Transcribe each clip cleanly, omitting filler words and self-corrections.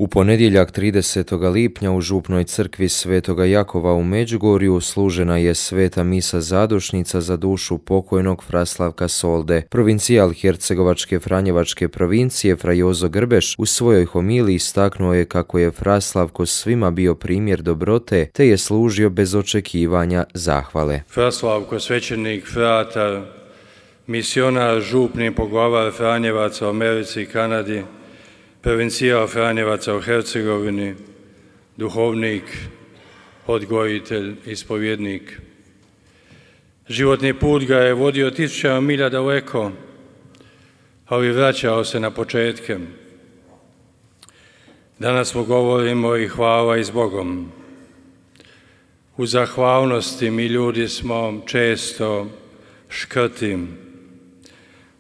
U ponedjeljak 30. lipnja u župnoj crkvi Svetoga Jakova u Međugorju služena je sveta misa zadušnica za dušu pokojnog fra Slavka Solde. Provincijal Hercegovačke Franjevačke provincije fra Jozo Grbeš u svojoj homiliji istaknuo je kako je fra Slavko svima bio primjer dobrote te je služio bez očekivanja zahvale. Fra Slavko, svećenik, fratar, misionar, župni poglavar Franjevaca u Americi i Kanadi, provincijal Franjevaca u Hercegovini, duhovnik, odgojitelj, ispovjednik. Životni put ga je vodio 1000 milja daleko, ali vraćao se na početke. Danas mu govorimo i hvala i s Bogom. U zahvalnosti mi ljudi smo često škrti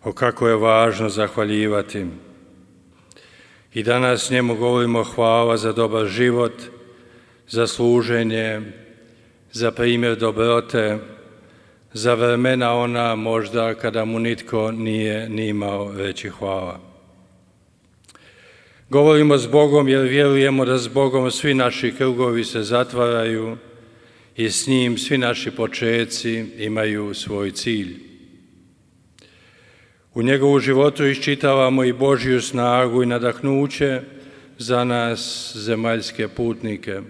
o kako je važno zahvaljivati. I danas njemu govorimo hvala za dobar život, za služenje, za primjer dobrote, za vremena ona možda kada mu nitko nije ni imao reći hvala. Govorimo s Bogom jer vjerujemo da s Bogom svi naši krugovi se zatvaraju i s njim svi naši počeci imaju svoj cilj. U njegovu životu iščitavamo i Božju snagu i nadahnuće za nas zemaljske putnike.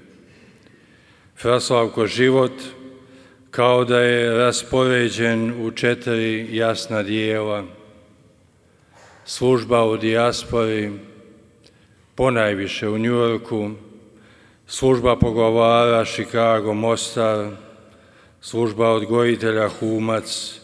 Fra Slavko život kao da je raspoređen u 4 jasna dijela. Služba u dijaspori, ponajviše u Njujorku, služba poglavara Chicago, Mostar, služba odgojitelja Humac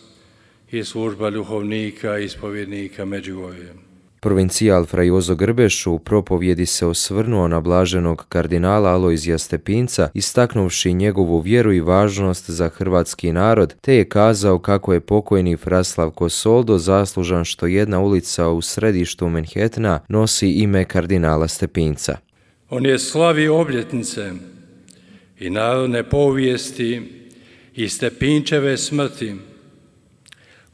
i služba duhovnika i ispovjednika Međugorje. Provincijal fra Jozo Grbeš u propovjedi se osvrnuo na blaženog kardinala Alojzija Stepinca, istaknuvši njegovu vjeru i važnost za hrvatski narod, te je kazao kako je pokojni fra Slavko Soldo zaslužan što jedna ulica u središtu Manhattana nosi ime kardinala Stepinca. On je slavio obljetnice i narodne povijesti i Stepinčeve smrti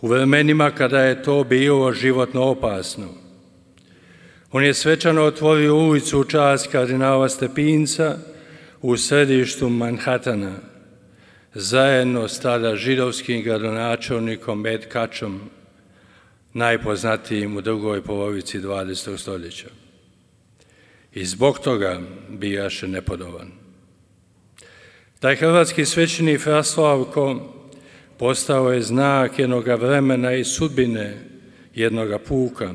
u vremenima kada je to bilo životno opasno. On je svečano otvorio ulicu u čast kardinala Stepinca u središtu Manhattana, zajedno s tada židovskim gradonačelnikom Ed Kačom, najpoznatijim u drugoj polovici 20. stoljeća. I zbog toga bijaše nepodoban. Taj hrvatski svećenik fra Slavko postao je znak jednoga vremena i sudbine jednoga puka.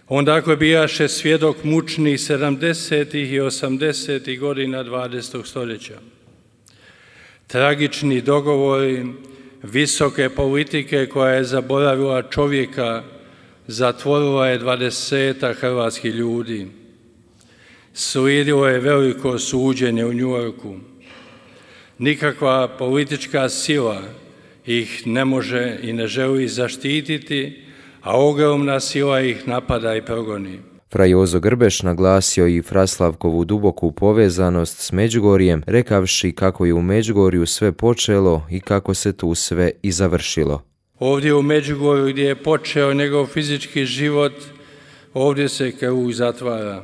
On dakle bijaše svjedok mučnih 70. i 80. godina 20. stoljeća. Tragični dogovori visoke politike koja je zaboravila čovjeka, zatvorila je 20 hrvatskih ljudi. Slijedilo je veliko suđenje u Njujorku. Nikakva politička sila ih ne može i ne želi zaštititi, a ogromna sila ih napada i progoni. Fra Jozo Grbeš naglasio i fra Slavkovu duboku povezanost s Međugorjem, rekavši kako je u Međugorju sve počelo i kako se tu sve i završilo. Ovdje u Međugorju gdje je počeo njegov fizički život, ovdje se krug zatvara.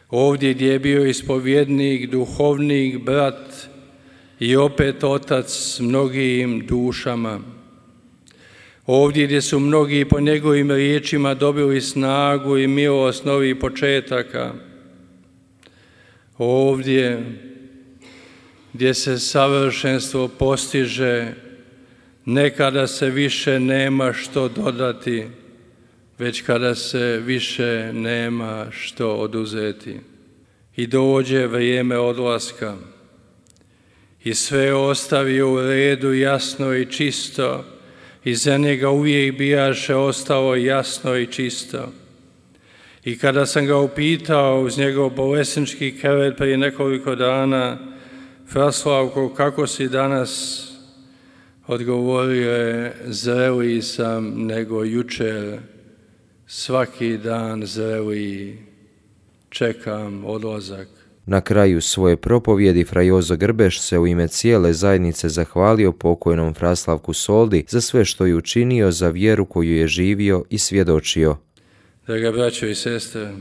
Ovdje gdje je bio ispovjednik, duhovnik, brat i opet otac s mnogim dušama. Ovdje gdje su mnogi po njegovim riječima dobili snagu i milost novih početaka. Ovdje gdje se savršenstvo postiže, ne kada se više nema što dodati, već kada se više nema što oduzeti. I dođe vrijeme odlaska i sve ostavio u redu jasno i čisto, i za njega uvijek bijaše ostalo jasno i čisto. I kada sam ga upitao uz njegov bolesnički krevet prije nekoliko dana, fra Slavko, kako si danas? Odgovorio je, zreliji sam nego jučer, svaki dan zreliji, čekam odlazak. Na kraju svoje propovjedi fra Jozo Grbeš se u ime cijele zajednice zahvalio pokojnom fra Slavku Soldi za sve što je učinio za vjeru koju je živio i svjedočio. Draga braćo i sestre,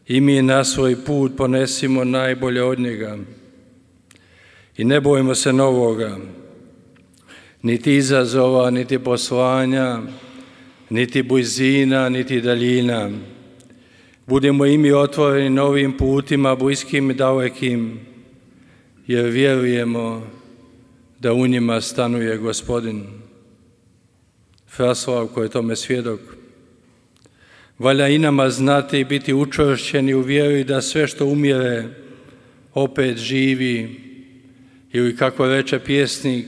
i mi na svoj put ponesimo najbolje od njega. I ne bojimo se novoga, niti izazova, niti poslanja, niti blizina, niti daljina. Budemo i mi otvoreni novim putima, bliskim i dalekim, jer vjerujemo da u njima stanuje Gospodin. Fra Slavko je tome svjedok. Valja i nama znati i biti učvršćeni u vjeri da sve što umire opet živi, ili kako reče pjesnik,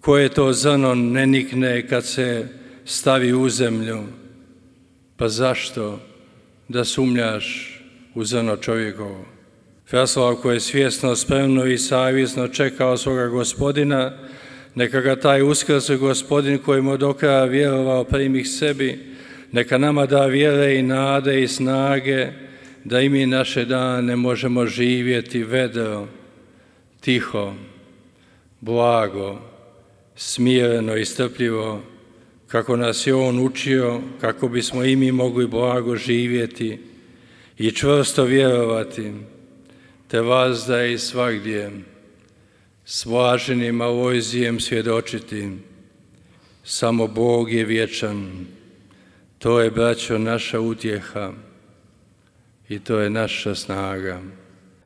koje to zrno ne nikne kad se stavi u zemlju. Pa zašto da sumnjaš u zrno čovjekovo? Fra Slavko je svjesno, spremno i savjesno čekao svoga Gospodina, neka ga taj uskrsli Gospodin kojemu do kraja vjerovao primi sebi, neka nama da vjere i nade i snage, da i mi naše dane možemo živjeti vedro, tiho, blago, smireno i strpljivo, kako nas je On učio, kako bismo i mi mogli blago živjeti i čvrsto vjerovati, te vazda i svagdje s blaženim Alojzijem svjedočiti. Samo Bog je vječan. To je, braćo, naša utjeha i to je naša snaga.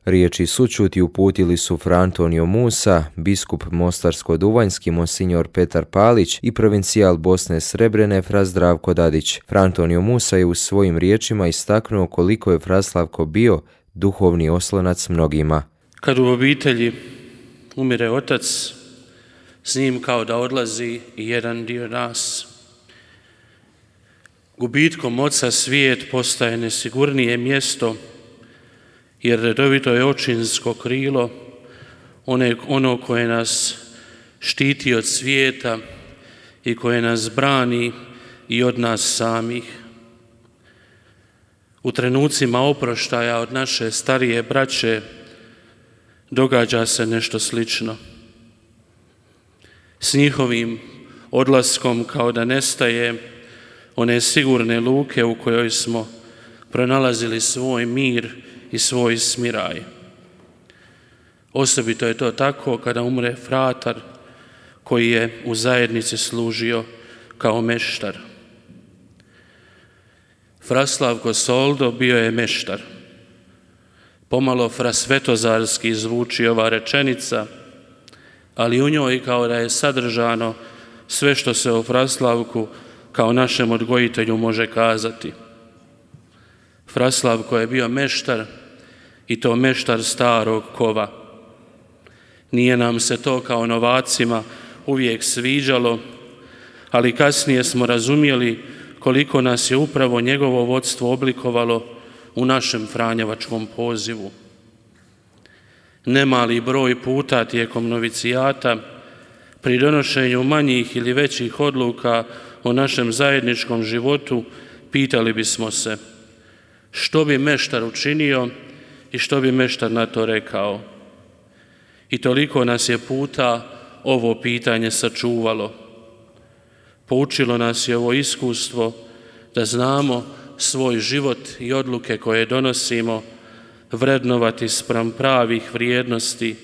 Riječi sućuti uputili su Fra Antonio Musa, biskup Mostarsko-Duvanjski monsinjor Petar Palić i provincijal Bosne Srebrene Fra Zdravko Dadić. Fra Antonio Musa je u svojim riječima istaknuo koliko je Fra Slavko bio duhovni oslonac mnogima. Kad u obitelji umire otac, s njim kao da odlazi i jedan dio nas. Gubitkom oca svijet postaje nesigurnije mjesto, jer redovito je očinsko krilo, ono koje nas štiti od svijeta i koje nas brani i od nas samih. U trenucima oproštaja od naše starije braće događa se nešto slično. S njihovim odlaskom kao da nestaje one sigurne luke u kojoj smo pronalazili svoj mir i svoj smiraj. Osobito je to tako kada umre fratar koji je u zajednici služio kao meštar. Fra Slavko Soldo bio je meštar. Pomalo frasvetozarski zvuči ova rečenica, ali u njoj kao da je sadržano sve što se o Fra Slavku kao našem odgojitelju može kazati. Fra Slavko je bio meštar i to meštar starog kova. Nije nam se to kao novacima uvijek sviđalo, ali kasnije smo razumjeli koliko nas je upravo njegovo vodstvo oblikovalo u našem franjevačkom pozivu. Nemali broj puta tijekom novicijata, pri donošenju manjih ili većih odluka o našem zajedničkom životu, pitali bismo se što bi meštar učinio i što bi meštar na to rekao. I toliko nas je puta ovo pitanje sačuvalo. Poučilo nas je ovo iskustvo da znamo svoj život i odluke koje donosimo vrednovati spram pravih vrijednosti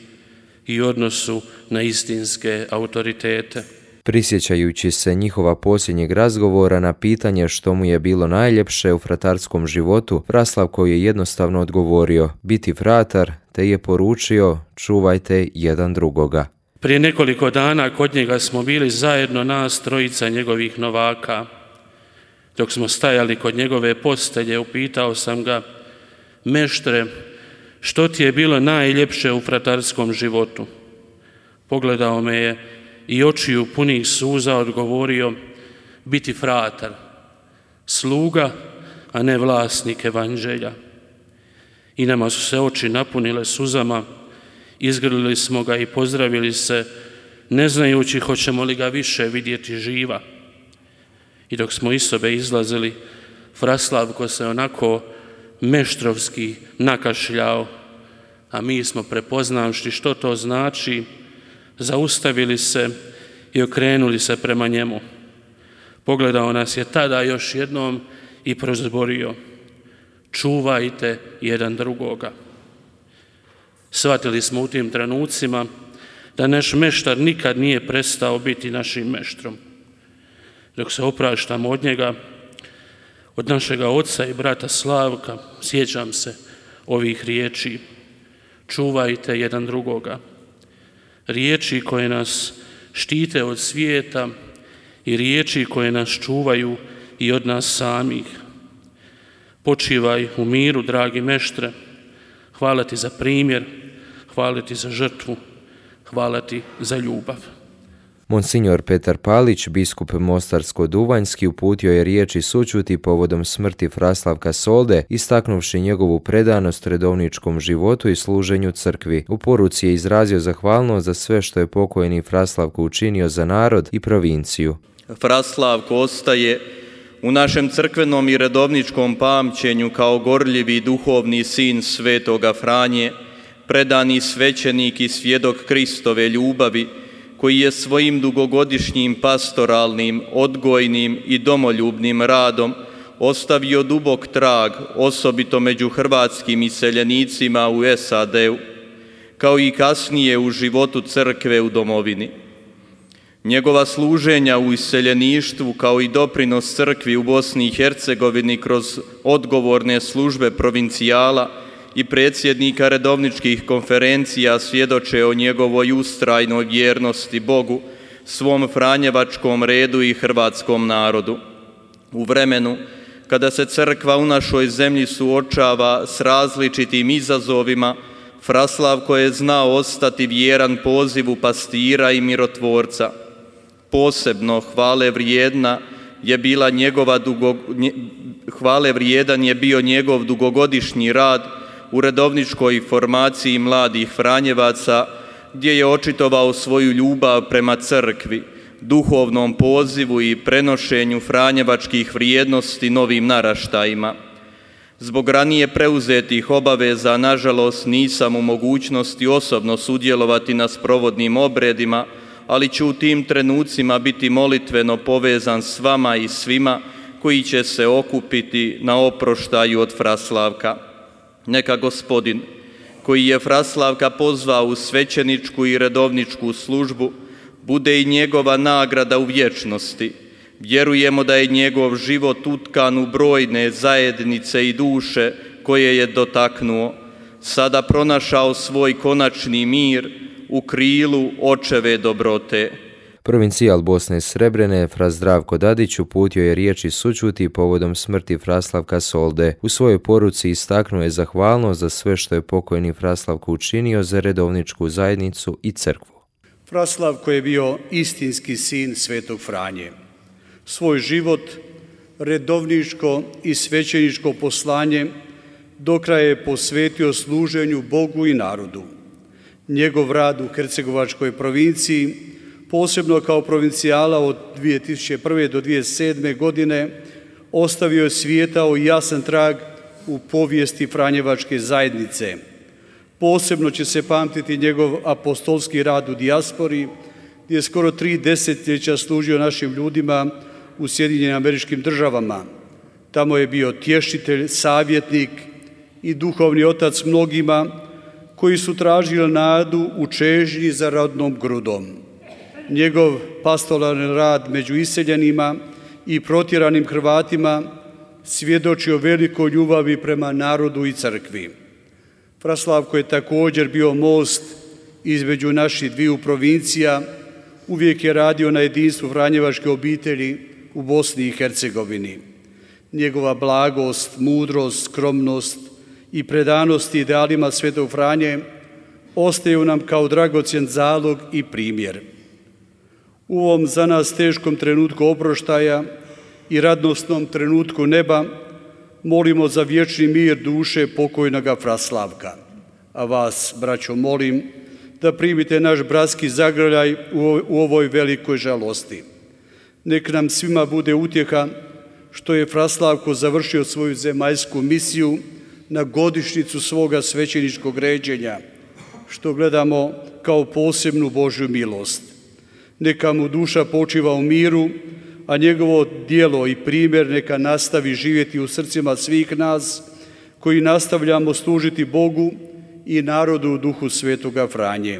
i odnosu na istinske autoritete. Prisjećajući se njihova posljednjeg razgovora na pitanje što mu je bilo najljepše u fratarskom životu, Fra Slavko je jednostavno odgovorio biti fratar, te je poručio čuvajte jedan drugoga. Prije nekoliko dana kod njega smo bili zajedno nas trojica njegovih novaka. Dok smo stajali kod njegove postelje, upitao sam ga: meštre, što ti je bilo najljepše u fratarskom životu? Pogledao me je i očiju punih suza odgovorio: biti fratar, sluga, a ne vlasnik evanđelja. I nama su se oči napunile suzama, izgrlili smo ga i pozdravili se, ne znajući hoćemo li ga više vidjeti živa. I dok smo iz sobe izlazili, Fra Slavko se onako meštrovski nakašljao, a mi smo, prepoznavši što to znači, zaustavili se i okrenuli se prema njemu. Pogledao nas je tada još jednom i prozborio: čuvajte jedan drugoga. Shvatili smo u tim trenucima da naš meštar nikad nije prestao biti našim meštrom. Dok se opraštamo od njega, od našega oca i brata Slavka, sjećam se ovih riječi: čuvajte jedan drugoga. Riječi koje nas štite od svijeta i riječi koje nas čuvaju i od nas samih. Počivaj u miru, dragi meštre. Hvala ti za primjer, hvala ti za žrtvu, hvala ti za ljubav. Monsignor Petar Palić, biskup Mostarsko-Duvanjski, uputio je riječi sućuti povodom smrti Fraslavka Solde, istaknuvši njegovu predanost redovničkom životu i služenju crkvi. U poruci je izrazio zahvalnost za sve što je pokojni Fraslavko učinio za narod i provinciju. Fraslavko ostaje u našem crkvenom i redovničkom pamćenju kao gorljivi duhovni sin svetoga Franje, predani svećenik i svjedok Kristove ljubavi, koji je svojim dugogodišnjim pastoralnim, odgojnim i domoljubnim radom ostavio dubok trag, osobito među hrvatskim iseljenicima u SAD-u, kao i kasnije u životu crkve u domovini. Njegova služenja u iseljeništvu, kao i doprinos crkvi u Bosni i Hercegovini kroz odgovorne službe provincijala i predsjednika redovničkih konferencija, svjedoče o njegovoj ustrajnoj vjernosti Bogu, svom franjevačkom redu i hrvatskom narodu. U vremenu kada se crkva u našoj zemlji suočava s različitim izazovima, Fraslavko je znao ostati vjeran pozivu pastira i mirotvorca. Posebno hvale vrijedan je bio njegov dugogodišnji rad u redovničkoj formaciji mladih Franjevaca, gdje je očitovao svoju ljubav prema crkvi, duhovnom pozivu i prenošenju franjevačkih vrijednosti novim naraštajima. Zbog ranije preuzetih obaveza, nažalost, nisam u mogućnosti osobno sudjelovati na sprovodnim obredima, ali ću u tim trenucima biti molitveno povezan s vama i svima koji će se okupiti na oproštaju od Fraslavka. Neka Gospodin, koji je Fraslavka pozvao u svećeničku i redovničku službu, bude i njegova nagrada u vječnosti. Vjerujemo da je njegov život utkan u brojne zajednice i duše koje je dotaknuo, sada pronašao svoj konačni mir u krilu očeve dobrote. Provincijal Bosne Srebrene, fra Zdravko Dadić, uputio je riječi sućuti povodom smrti Fraslavka Solde. U svojoj poruci istaknuo je zahvalnost za sve što je pokojni Fraslavko učinio za redovničku zajednicu i crkvu. Fraslavko je bio istinski sin svetog Franje. Svoj život, redovničko i svećeničko poslanje do kraja je posvetio služenju Bogu i narodu. Njegov rad u Hercegovačkoj provinciji, posebno kao provincijala od 2001. do 2007. godine, ostavio je svijetao jasan trag u povijesti Franjevačke zajednice. Posebno će se pamtiti njegov apostolski rad u dijaspori, gdje je skoro 3 desetljeća služio našim ljudima u Sjedinjenim Američkim Državama. Tamo je bio tješitelj, savjetnik i duhovni otac mnogima koji su tražili nadu u čežnji za rodnom grudom. Njegov pastoralni rad među iseljenima i protjeranim Hrvatima svjedoči o velikoj ljubavi prema narodu i crkvi. Fraslavko je također bio most između naših dviju provincija, uvijek je radio na jedinstvu franjevačke obitelji u Bosni i Hercegovini. Njegova blagost, mudrost, skromnost i predanost idealima svetog Franje ostaju nam kao dragocjen zalog i primjer. U ovom za nas teškom trenutku oproštaja i radosnom trenutku neba molimo za vječni mir duše pokojnoga Fraslavka. A vas, braćo, molim da primite naš bratski zagrljaj u ovoj velikoj žalosti. Nek nam svima bude utjeha što je Fraslavko završio svoju zemaljsku misiju na godišnjicu svoga svećeničkog ređenja, što gledamo kao posebnu Božju milost. Neka mu duša počiva u miru, a njegovo djelo i primjer neka nastavi živjeti u srcima svih nas, koji nastavljamo služiti Bogu i narodu u duhu Svetoga Franje.